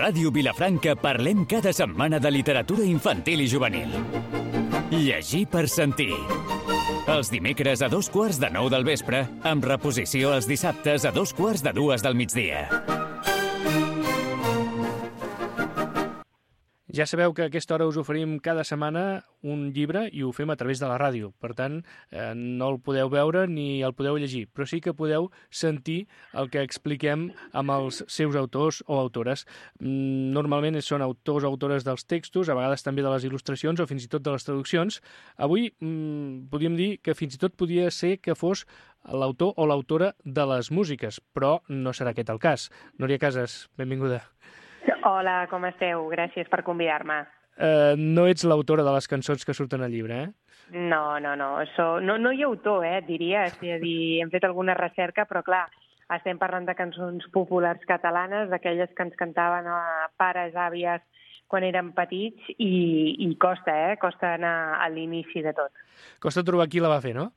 Ràdio Vilafranca parlem cada setmana de literatura infantil i juvenil. Llegir per sentir. Els dimecres a 2:15 del vespre, amb reposició els dissabtes a 2:45 del migdia. Ja sabeu que a aquesta hora us oferim cada setmana un llibre i ho fem a través de la ràdio. Per tant, no el podeu veure ni el podeu llegir, però sí que podeu sentir el que expliquem amb els seus autors o autores. Normalment són autors o autores dels textos, a vegades també de les il·lustracions o fins i tot de les traduccions. Avui podríem dir que fins i tot podia ser que fos l'autor o l'autora de les músiques, però no serà aquest el cas. Núria Casas, benvinguda. Hola, com esteu? Gràcies per convidar-me. No ets l'autora de les cançons que surten al llibre, eh? No. No hi ha autor, diria. És a dir, hem fet alguna recerca, però clar, estem parlant de cançons populars catalanes, d'aquelles que ens cantaven pares, àvies, quan érem petits, i costa, costa anar a l'inici de tot. Costa trobar qui la va fer, no?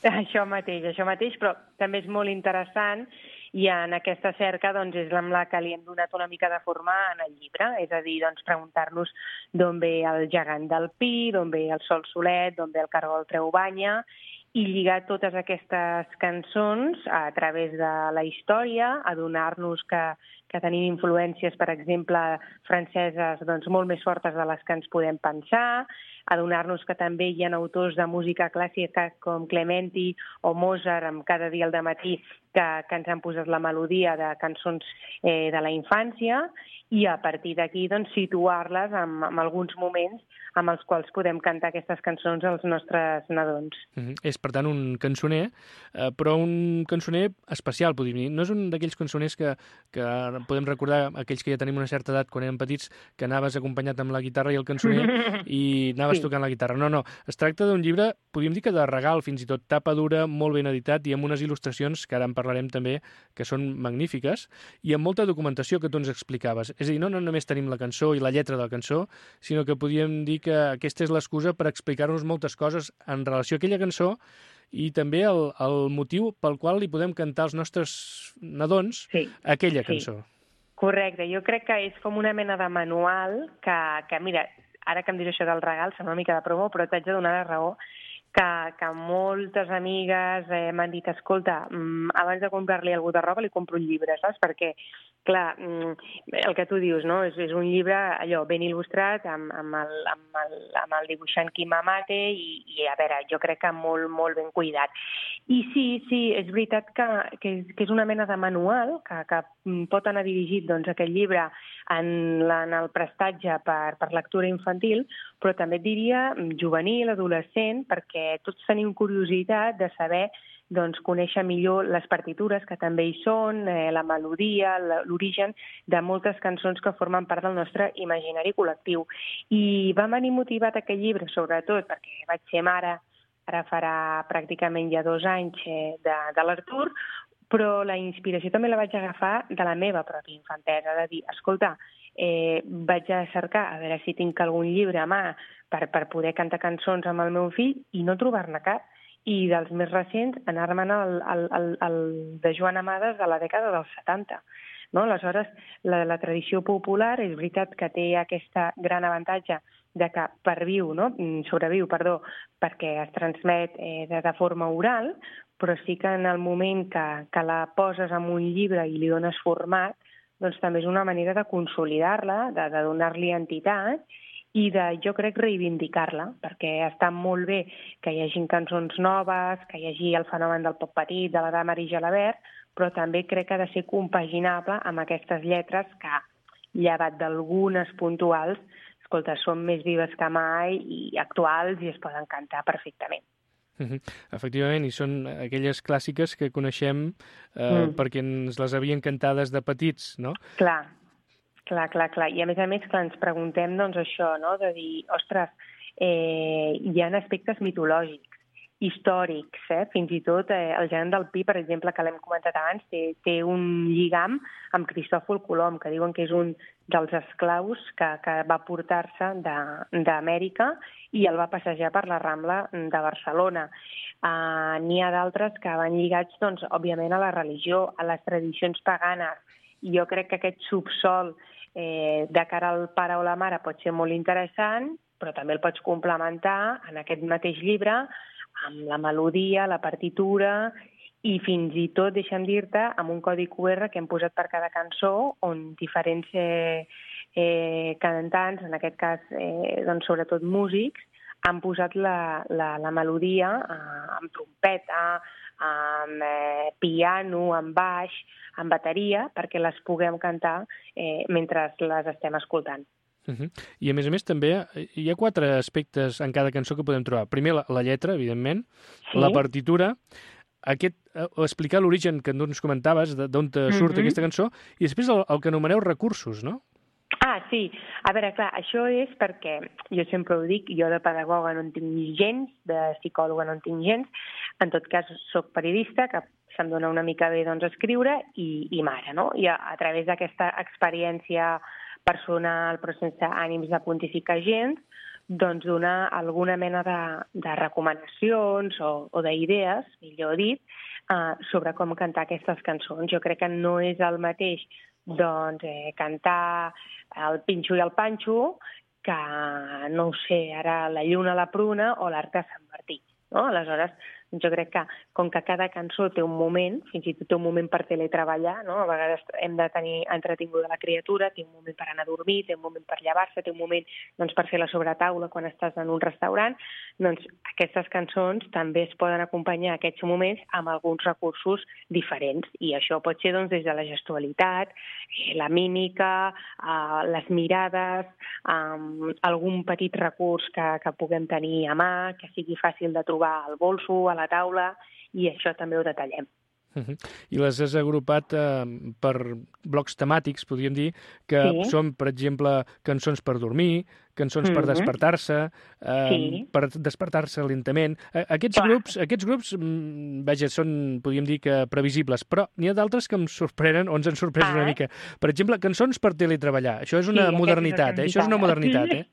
Això mateix, però també és molt interessant. I en aquesta cerca és amb la que li hem donat una mica de forma en el llibre, és a dir, preguntar-nos d'on ve el gegant del Pi, d'on ve el Sol Solet, d'on ve el cargol treu banya, i lligar totes aquestes cançons a través de la història, adonar-nos que tenim influències, per exemple, franceses molt més fortes de les que ens podem pensar, adonar-nos que també hi ha autors de música clàssica com Clementi o Mozart, amb Cada dia al dematí, que ens han posat la melodia de cançons de la infància, i a partir d'aquí situar-les en alguns moments amb els quals podem cantar aquestes cançons als nostres nadons. És, per tant, un cançoner, però un cançoner especial, podríem dir. No és un d'aquells cançoners que podem recordar, aquells que ja tenim una certa edat, quan érem petits, que anaves acompanyat amb la guitarra i el cançoner i anaves tocant la guitarra. No. Es tracta d'un llibre, podríem dir que de regal, fins i tot tapa dura, molt ben editat i amb unes il·lustracions, que ara en parlarem també, que són magnífiques, i amb molta documentació que tu ens explicaves. És a dir, no només tenim la cançó i la lletra de la cançó, sinó que podríem dir que aquesta és l'excusa per explicar-nos moltes coses en relació a aquella cançó i també el motiu pel qual li podem cantar als nostres nadons aquella cançó. Correcte, jo crec que és com una mena de manual que mira, ara que em diré això del regal, sembla una mica de promo, però t'haig de donar la raó, que moltes amigues m'han dit, escolta, abans de comprar-li algú de roba li compro un llibre, saps? Perquè, clar, el que tu dius, no? És un llibre allò ben il·lustrat amb el dibuixant Quim Amate i a veure, jo crec que molt, molt ben cuidat. I sí, és veritat que és una mena de manual que pot anar dirigit aquest llibre en el prestatge per lectura infantil, però també et diria juvenil, adolescent, perquè tots tenim curiositat de saber conèixer millor les partitures que també hi són, la melodia, l'origen de moltes cançons que formen part del nostre imaginari col·lectiu. I va venir motivat aquest llibre, sobretot, perquè vaig ser mare, ara farà pràcticament ja 2 anys de l'Artur, però la inspiració també la vaig agafar de la meva pròpia infantesa, de dir, escolta, vaig a cercar a veure si tinc algun llibre a mà per poder cantar cançons amb el meu fill i no trobar-ne cap. I dels més recents, anar-me'n al de Joan Amades de la dècada dels 70. No? Aleshores, la tradició popular és veritat que té aquesta gran avantatge de que sobreviu, perquè es transmet de forma oral, però sí que en el moment que la poses en un llibre i li dones format, doncs també és una manera de consolidar-la, de donar-li entitat i de, jo crec, reivindicar-la, perquè està molt bé que hi hagin cançons noves, que hi hagi el fenomen del pop petit, de la dama Marie Jalabert, però també crec que ha de ser compaginable amb aquestes lletres que, llevat d'algunes puntuals, escolta, són més vives que mai i actuals i es poden cantar perfectament. Efectivament, i són aquelles clàssiques que coneixem perquè ens les havien cantades de petits, no? Clar. I a més, ens preguntem això, no? De dir, ostres, hi ha aspectes mitològics, històrics, fins i tot el gegant del Pi, per exemple, que l'hem comentat abans, té un lligam amb Cristòfol Colom, que diuen que és un dels esclaus que va portar-se d'Amèrica i el va passejar per la Rambla de Barcelona. N'hi ha d'altres que van lligats, òbviament, a la religió, a les tradicions paganes, jo crec que aquest subsol de cara al pare o la mare pot ser molt interessant, però també el pots complementar en aquest mateix llibre amb la melodia, la partitura i fins i tot, deixa'm dir-te, amb un codi QR que hem posat per cada cançó on diferents cantants, en aquest cas doncs, sobretot músics, han posat la melodia amb trompeta, amb piano, amb baix, amb bateria, perquè les puguem cantar mentre les estem escoltant. I, a més, també hi ha 4 aspectes en cada cançó que podem trobar. Primer, la lletra, evidentment, la partitura, explicar l'origen que ens comentaves, d'on surt aquesta cançó, i després el que anomeneu recursos, no? Sí. A veure, clar, això és perquè, jo sempre ho dic, jo de pedagoga no en tinc gens, de psicòloga no en tinc gens, en tot cas soc periodista, que se'm dona una mica bé doncs, escriure, i mare, no? I a través d'aquesta experiència personal, però sense ànims de pontificar gens, doncs donar alguna mena de recomanacions o d'idees, millor dit, sobre com cantar aquestes cançons. Jo crec que no és el mateix doncs, cantar el Pinxo i el Panxo que, no ho sé, ara la Lluna, la Pruna o l'Arc de Sant Martí. No? Aleshores, jo crec que, com que cada cançó té un moment, fins i tot té un moment per teletreballar, no? A vegades hem de tenir entretinguda la criatura, té un moment per anar a dormir, té un moment per llevar-se, té un moment doncs, per fer la sobretaula quan estàs en un restaurant, doncs aquestes cançons també es poden acompanyar aquests moments amb alguns recursos diferents, i això pot ser doncs, des de la gestualitat, la mímica, les mirades, algun petit recurs que puguem tenir a mà, que sigui fàcil de trobar al bolso, a la taula, i això també ho detallem. I les has agrupat per blocs temàtics, podríem dir, que són, per exemple, cançons per dormir, cançons per despertar-se, per despertar-se lentament. Aquests grups, vaja, són, podríem dir, que previsibles, però n'hi ha d'altres que em sorprenen o ens han sorprès una mica. Per exemple, cançons per teletreballar. Això és una modernitat, Això és una modernitat,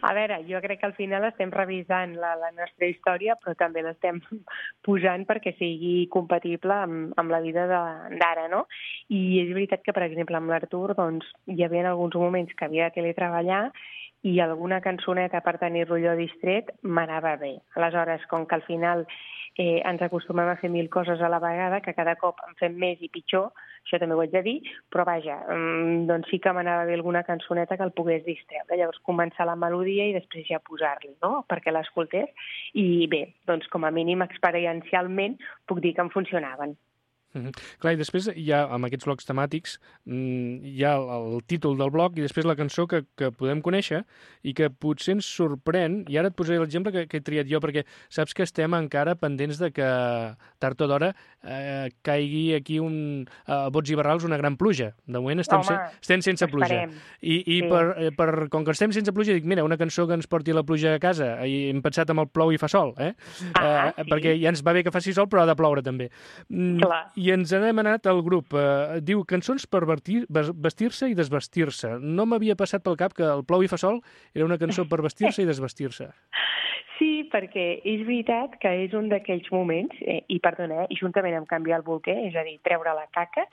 A veure, jo crec que al final estem revisant la nostra història, però també l'estem posant perquè sigui compatible amb la vida d'ara, no? I és veritat que, per exemple, amb l'Artur doncs, hi havia alguns moments que havia de teletreballar i alguna cançoneta per tenir-lo allò distret m'anava bé. Aleshores, com que al final ens acostumem a fer 1000 coses a la vegada, que cada cop en fem més i pitjor, això també ho haig de dir, però vaja, doncs sí que m'anava bé alguna cançoneta que el pogués distreure. Llavors començar la melodia i després ja posar-li, no?, perquè l'escoltés. I bé, doncs com a mínim experiencialment puc dir que em funcionaven. Clar, i després hi ha, amb aquests blocs temàtics, hi ha el títol del bloc i després la cançó que podem conèixer i que potser ens sorprèn, i ara et posaré l'exemple que he triat jo, perquè saps que estem encara pendents de que tard o d'hora caigui aquí a bots i barrals una gran pluja. De moment estem sense pluja. Com que estem sense pluja, dic, mira, una cançó que ens porti la pluja a casa, i hem pensat amb el plou i fa sol, perquè ja ens va bé que faci sol, però ha de ploure també. Clar. I ens n'hem anat al grup. Diu cançons per vestir-se i desvestir-se. No m'havia passat pel cap que el plou i fa sol era una cançó per vestir-se i desvestir-se. Sí, perquè és veritat que és un d'aquells moments, i perdona, i juntament amb canviar el bolquer, és a dir, treure la caca,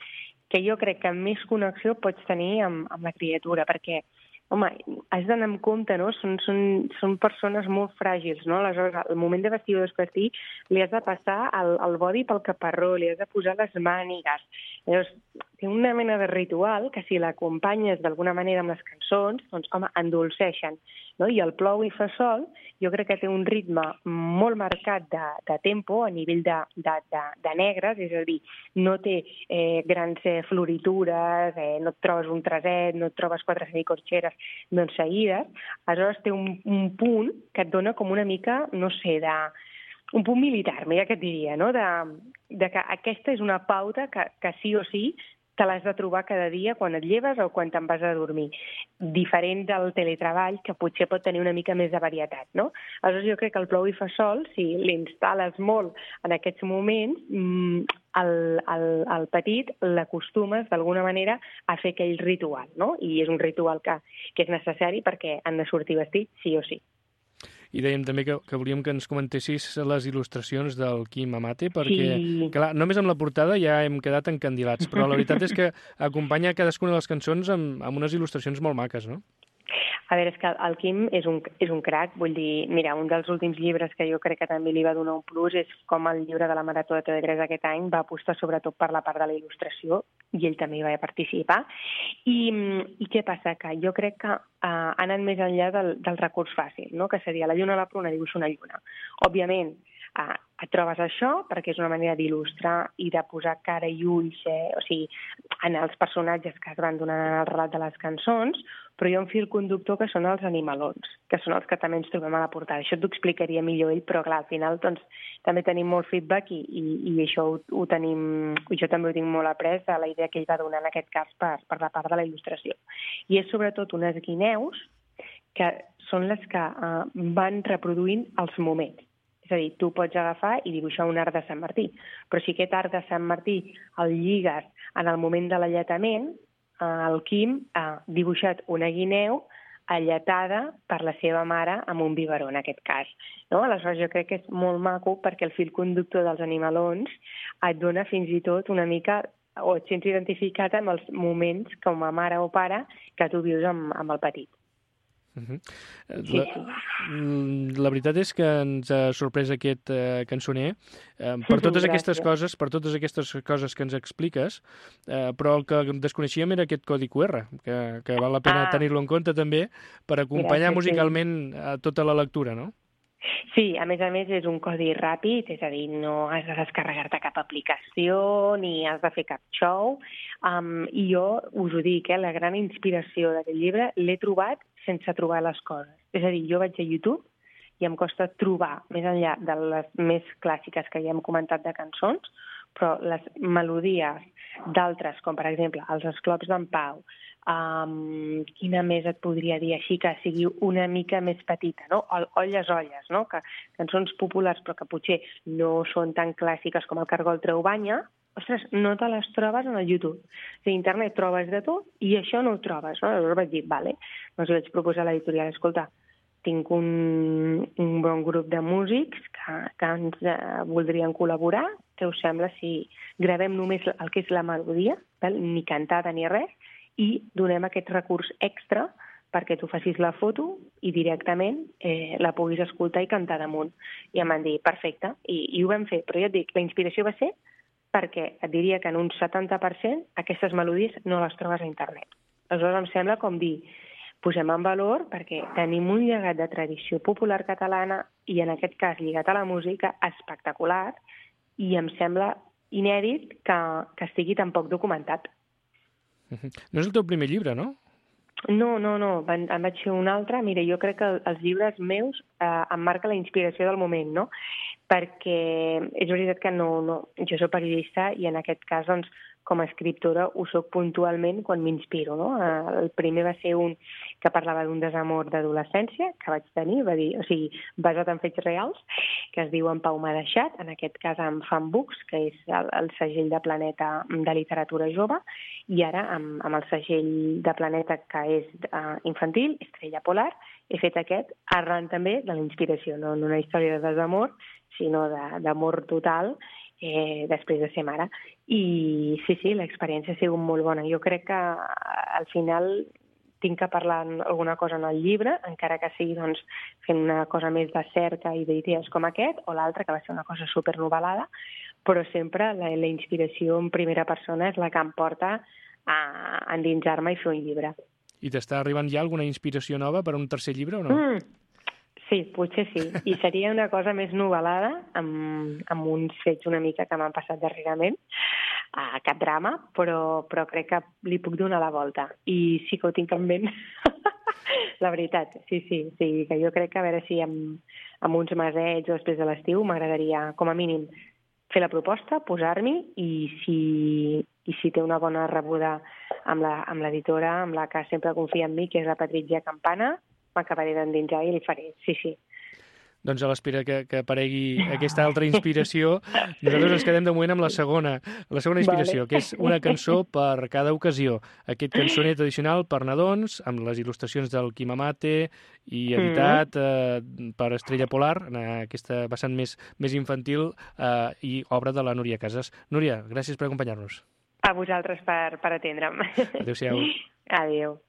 que jo crec que més connexió pots tenir amb la criatura, perquè home, has d'anar amb compte, no? Són persones molt fràgils, no? Aleshores, al moment de vestir o desvestir, li has de passar el body pel caparró, li has de posar les mànigues. Llavors, té una mena de ritual que si l'acompanyes d'alguna manera amb les cançons, doncs, home, endolceixen, no? I el plou i fa sol, jo crec que té un ritme molt marcat de tempo a nivell de negres, és a dir, no té grans floritures, no et trobes un treset, no et trobes 4 semicorxeres doncs seguides, aleshores té un punt que et dona com una mica, no sé, un punt militar, mira què et diria, no? De que aquesta és una pauta que sí o sí te l'has de trobar cada dia quan et lleves o quan te'n vas a dormir. Diferent del teletreball, que potser pot tenir una mica més de varietat, no? Aleshores jo crec que el plou i fa sol, si l'instal·les molt en aquests moments, el petit l'acostumes d'alguna manera a fer aquell ritual, no? I és un ritual que és necessari perquè han de sortir vestits sí o sí. i dèiem també que volíem que ens comentessis les il·lustracions del Quim Amate, perquè, clar, només amb la portada ja hem quedat encandilats, però la veritat és que acompanya cadascuna de les cançons amb unes il·lustracions molt maques, no? A veure, és que el Quim és un crac, vull dir, mira, un dels últims llibres que jo crec que també li va donar un plus és com el llibre de la Marató de TV3 aquest any va apostar sobretot per la part de la il·lustració, i ell també hi va participar. I què passa? Que jo crec que ha anat més enllà del recurs fàcil, no? Que seria la lluna a la pruna, dibuixa una lluna. Òbviament, et trobes això perquè és una manera d'il·lustrar i de posar cara i ulls, o sigui, en els personatges que es van donant en el relat de les cançons, però hi ha un fil conductor que són els animalons, que són els que també ens trobem a la portada. Això t'ho explicaria millor ell, però clar, al final doncs, també tenim molt feedback i això ho tenim, jo també ho tinc molt après de la idea que ell va donar en aquest cas per la part de la il·lustració. I és sobretot unes guineus que són les que van reproduint els moments. És a dir, tu pots agafar i dibuixar un arc de Sant Martí, però si aquest arc de Sant Martí el lligues en el moment de l'alletament, el Quim ha dibuixat una guineu alletada per la seva mare amb un biberó, en aquest cas. No? Aleshores, jo crec que és molt maco perquè el fil conductor dels animalons et dona fins i tot una mica, o et sents identificat amb els moments com a mare o pare que tu vius amb el petit. La veritat és que ens ha sorprès aquest cançoner per totes aquestes coses, que ens expliques, però el que desconeixíem era aquest codi QR, que val la pena tenir-lo en compte també per acompanyar musicalment tota la lectura, no? Sí, a més és un codi ràpid, és a dir, no has de descarregar-te cap aplicació ni has de fer cap show. I jo us ho dic, la gran inspiració d'aquest llibre l'he trobat sense trobar les coses. És a dir, jo vaig a YouTube i em costa trobar, més enllà de les més clàssiques que ja hem comentat de cançons, però les melodies d'altres, com per exemple els Esclops d'en Pau, quina més et podria dir així que sigui una mica més petita, no? Olles, olles, no? Que cançons populars però que potser no són tan clàssiques com el Cargol treu banya, ostres, no te les trobes en el YouTube. A internet trobes de tot i això no ho trobes, no? Llavors vaig dir, vale, doncs vaig proposar a l'editorial, escolta, tinc un bon grup de músics que ens voldrien col·laborar, què us sembla si gravem només el que és la melodia, ni cantada ni res, i donem aquest recurs extra perquè tu facis la foto i directament la puguis escoltar i cantar damunt. I em van dir, perfecte, i ho vam fer. Però ja et dic, la inspiració va ser perquè et diria que en un 70% aquestes melodies no les trobes a internet. Aleshores em sembla com dir, posem en valor perquè tenim un llegat de tradició popular catalana i en aquest cas lligat a la música espectacular i em sembla inèdit que estigui tan poc documentat. No és el teu primer llibre, no? No. En vaig fer un altre. Mira, jo crec que els llibres meus em marca la inspiració del moment, no? Perquè és veritat que jo soc periodista i en aquest cas, doncs, com a escriptora ho soc puntualment quan m'inspiro, no? El primer va ser un que parlava d'un desamor d'adolescència que vaig tenir, basat en fets reals, que es diu En Pau m'ha deixat, en aquest cas amb Fan Books, que és el segell de Planeta de literatura jove, i ara amb el segell de Planeta que és infantil, Estrella Polar, he fet aquest arran també de la inspiració, no una història de desamor, sinó d'amor total després de ser mare. I sí, l'experiència ha sigut molt bona. Jo crec que al final tinc que parlar alguna cosa en el llibre, encara que sigui doncs, fent una cosa més de cerca i d'idees com aquest, o l'altra, que va ser una cosa supernovel·lada, però sempre la inspiració en primera persona és la que em porta a endinsar-me i fer un llibre. I t'està arribant ja alguna inspiració nova per a un tercer llibre o no? Sí, potser sí. I seria una cosa més novel·lada, amb uns fets una mica que m'han passat darrerament, cap drama, però crec que li puc donar la volta. I sí que ho tinc en ment. La veritat, sí, que jo crec que a veure si amb uns mesets o després de l'estiu m'agradaria, com a mínim, fer la proposta, posar-m'hi i si té una bona rebuda amb l'editora, amb la que sempre confia en mi, que és la Patrizia Campana, m'acabaré d'endinsar i li faré, sí. Doncs a l'espera que aparegui aquesta altra inspiració, nosaltres ens quedem de moment amb la segona inspiració, que és una cançó per cada ocasió. Aquest cançoner tradicional per nadons, amb les il·lustracions del Quim Amate i editat per Estrella Polar, en aquesta vessant més infantil i obra de la Núria Casas. Núria, gràcies per acompanyar-nos. A vosaltres per atendre'm. Adéu-siau. Adéu.